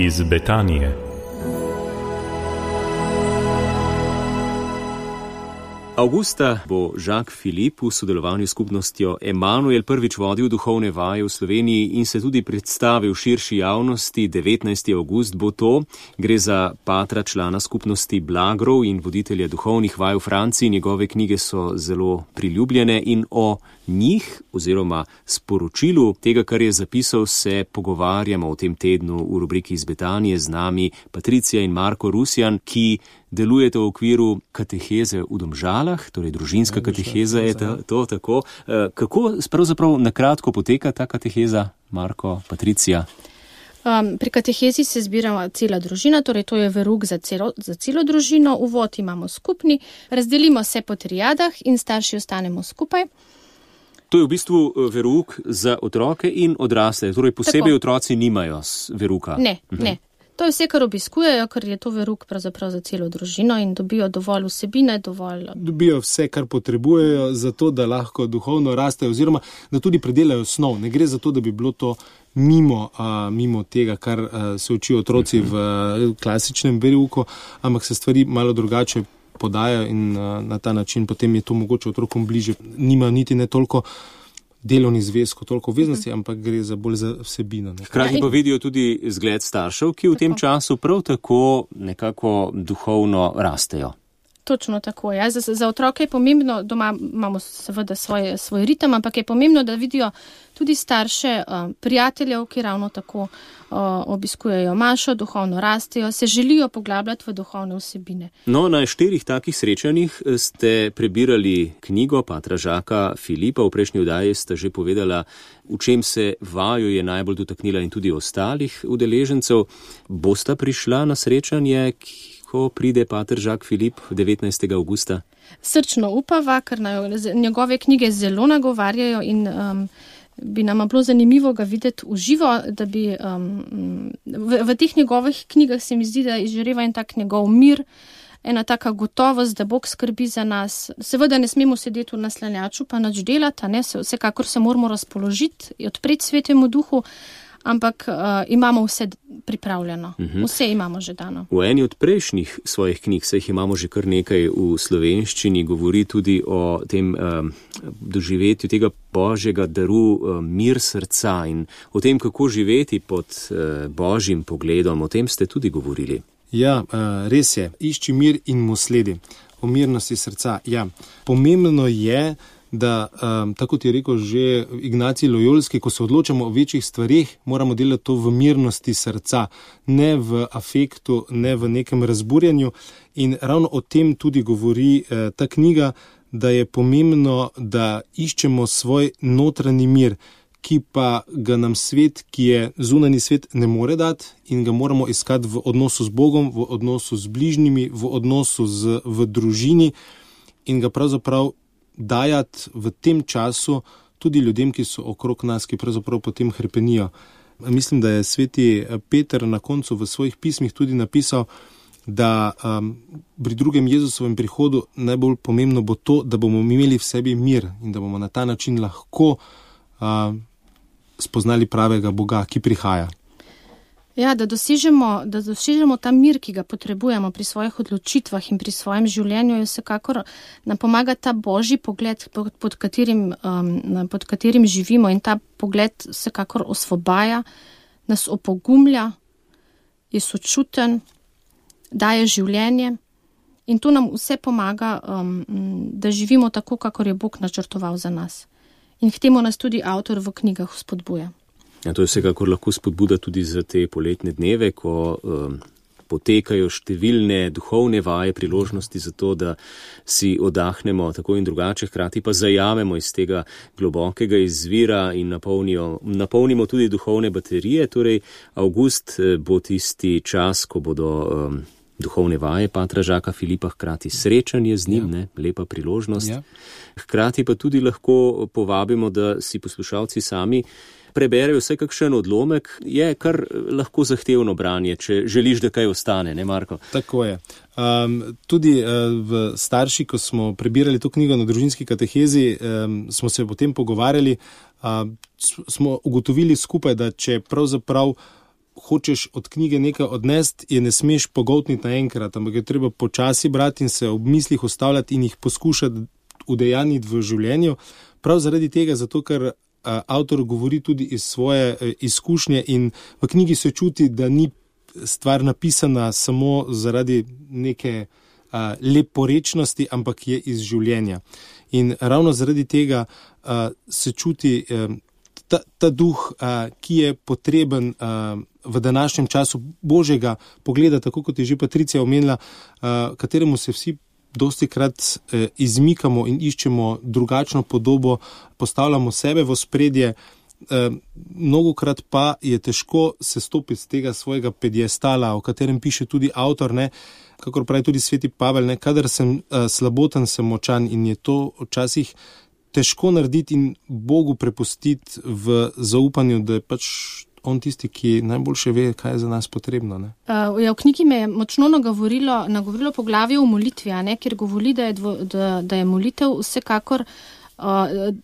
iz Betanije. Avgusta bo Jacques Philippe v sodelovanju s skupnostjo Emanuel prvič vodil duhovne vaje v Sloveniji in se tudi predstavil širši javnosti. 19. avgust bo to. Gre za patra člana skupnosti Blagrov in voditelja duhovnih vaj v Franciji. Njegove knjige so zelo priljubljene in o njih oziroma sporočilu tega, kar je zapisal, se pogovarjamo v tem tednu v rubriki iz Betanije. Z nami Patricija in Marko Rusjan, ki delujete v okviru kateheze v Domžalah, torej družinska kateheza je to tako. Kako pravzaprav nakratko poteka ta kateheza, Marko, Patricija? Pri katehezi se zbira cela družina, torej to je verouk za celo družino. Uvod imamo skupni, razdelimo se po triadah in starši ostanemo skupaj. To je v bistvu verouk za otroke in odrasle, torej posebej tako. Otroci nimajo verouka. Ne. To je vse, kar obiskujejo, ker je to verouk pravzaprav za celo družino in dobijo dovolj vsebine, Dobijo vse, kar potrebujejo, zato da lahko duhovno rastejo oziroma da tudi predelajo snov. Ne gre za to, da bi bilo to mimo tega, kar se učijo otroci v klasičnem verouku, ampak se stvari malo drugače podajajo in na ta način potem je to mogoče otrokom bliže. Nima niti ne toliko delovni zvezko, toliko obveznosti, ampak gre bolj za vsebino. Hkrati pa vidijo tudi zgled staršev, ki v tem času prav tako nekako duhovno rastejo. Točno tako, ja. Za otroke je pomembno, doma imamo seveda svoj ritem, ampak je pomembno, da vidijo tudi starše prijateljev, ki ravno tako obiskujejo mašo, duhovno rastejo, se želijo poglabljati v duhovne vsebine. No, na 4 takih srečanjih ste prebirali knjigo patra Jacquesa Philippa. V prejšnji oddaji ste že povedala, v čem se vaju je najbolj dotaknila in tudi ostalih udeležencev. Bosta prišla na srečanje, ko pride pater Jacques Philippe 19. avgusta? Srčno upava, ker njegove knjige zelo nagovarjajo in bi nam bilo zanimivo ga videti v živo, da bi v teh njegovih knjigah se mi zdi, da izžareva en tak njegov mir, ena taka gotovost, da Bog skrbi za nas. Seveda ne smemo sedeti v naslanjaču pa nič delati, vsekakor se moramo razpoložiti, odpreti Svetemu Duhu, ampak imamo vse pripravljeno. Vse imamo že dano. V eni od prejšnjih svojih knjig, saj jih imamo že kar nekaj v slovenščini, govori tudi o tem doživetju tega božjega daru mir srca in o tem, kako živeti pod božjim pogledom. O tem ste tudi govorili. Ja, res je. Išči mir in mu sledi. O mirnosti srca. Ja, pomembno je, da, tako ti je rekel že Ignacij Lojolski, ko se odločamo o večjih stvarih, moramo delati to v mirnosti srca, ne v afektu, ne v nekem razburjanju. In ravno o tem tudi govori ta knjiga, da je pomembno, da iščemo svoj notranji mir, ki pa ga nam svet, ki je zunanji svet, ne more dati in ga moramo iskati v odnosu z Bogom, v odnosu z bližnjimi, v odnosu v družini in ga pravzaprav dajati v tem času tudi ljudem, ki so okrog nas, ki pravzaprav potem hrepenijo. Mislim, da je sveti Peter na koncu v svojih pismih tudi napisal, da pri drugem Jezusovem prihodu najbolj pomembno bo to, da bomo imeli v sebi mir in da bomo na ta način lahko spoznali pravega Boga, ki prihaja. Ja, da dosežemo ta mir, ki ga potrebujemo pri svojih odločitvah in pri svojem življenju, je vsekakor nam pomaga ta božji pogled, pod katerim živimo, in ta pogled vsekakor osvobaja, nas opogumlja, je sočuten, daje življenje in to nam vse pomaga, da živimo tako, kakor je Bog načrtoval za nas. In k temu nas tudi avtor v knjigah spodbuja. Ja, to je vsekakor lahko spodbuda tudi za te poletne dneve, ko potekajo številne duhovne vaje, priložnosti za to, da si oddahnemo tako in drugače, hkrati pa zajamemo iz tega globokega izvira in napolnimo tudi duhovne baterije. Torej, avgust bo tisti čas, ko bodo duhovne vaje patra Jacquesa Philippa, hkrati srečanje z njim, lepa priložnost. Ja. Hkrati pa tudi lahko povabimo, da si poslušalci sami preberejo vse kakšen odlomek, je kar lahko zahtevno branje, če želiš, da kaj ostane, ne Marko? Tako je. Tudi v starši, ko smo prebirali to knjigo na družinski katehezi, smo se potem pogovarjali, smo ugotovili skupaj, da če pravzaprav hočeš od knjige nekaj odnesti, je ne smeš pogoltniti naenkrat, ampak je treba počasi brati in se ob mislih ustavljati in jih poskušati udejaniti v življenju. Prav zaradi tega, zato ker avtor govori tudi iz svoje izkušnje in v knjigi se čuti, da ni stvar napisana samo zaradi neke leporečnosti, ampak je iz življenja. In ravno zaradi tega se čuti ta duh, ki je potreben v današnjem času božjega pogleda, tako kot je že Patricija omenila, kateremu se vsi dostikrat izmikamo in iščemo drugačno podobo, postavljamo sebe v ospredje, mnogokrat pa je težko se stopiti z tega svojega pediestala, o katerem piše tudi avtor, ne, kakor pravi tudi sveti Pavel, ne, kadar sem slaboten, sem močan, in je to včasih težko narediti in Bogu prepustiti v zaupanju, da je pač on tisti, ki najboljše ve, kaj je za nas potrebno. Ne? V knjigi me je močno nagovorilo poglavje o molitvi, kjer govori, da je molitev vsekakor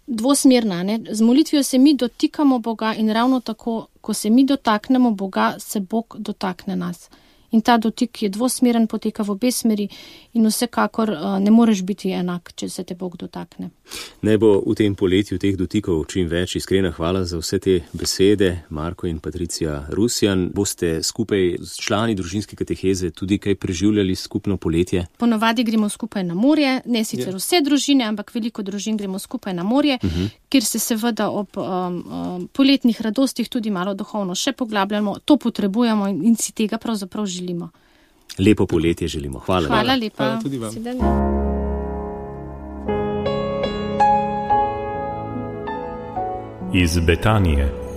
dvosmerna. Ne? Z molitvijo se mi dotikamo Boga in ravno tako, ko se mi dotaknemo Boga, se Bog dotakne nas. In ta dotik je dvosmeren, poteka v obe smeri in vsekakor ne moreš biti enak, če se te Bog dotakne. Naj bo v tem poletju teh dotikov čim več. Iskrena hvala za vse te besede, Marko in Patricija Rusjan. Boste skupaj s člani družinske kateheze tudi kaj preživljali skupno poletje? Ponovadi gremo skupaj na morje, ne sicer vse družine, ampak veliko družin gremo skupaj na morje, kjer se seveda ob poletnih radostih tudi malo duhovno še poglabljamo. To potrebujemo in si tega pravzaprav želimo. Lepo poletje želimo. Hvala. Hvala lepa. Hvala tudi vam. Iz Betanije.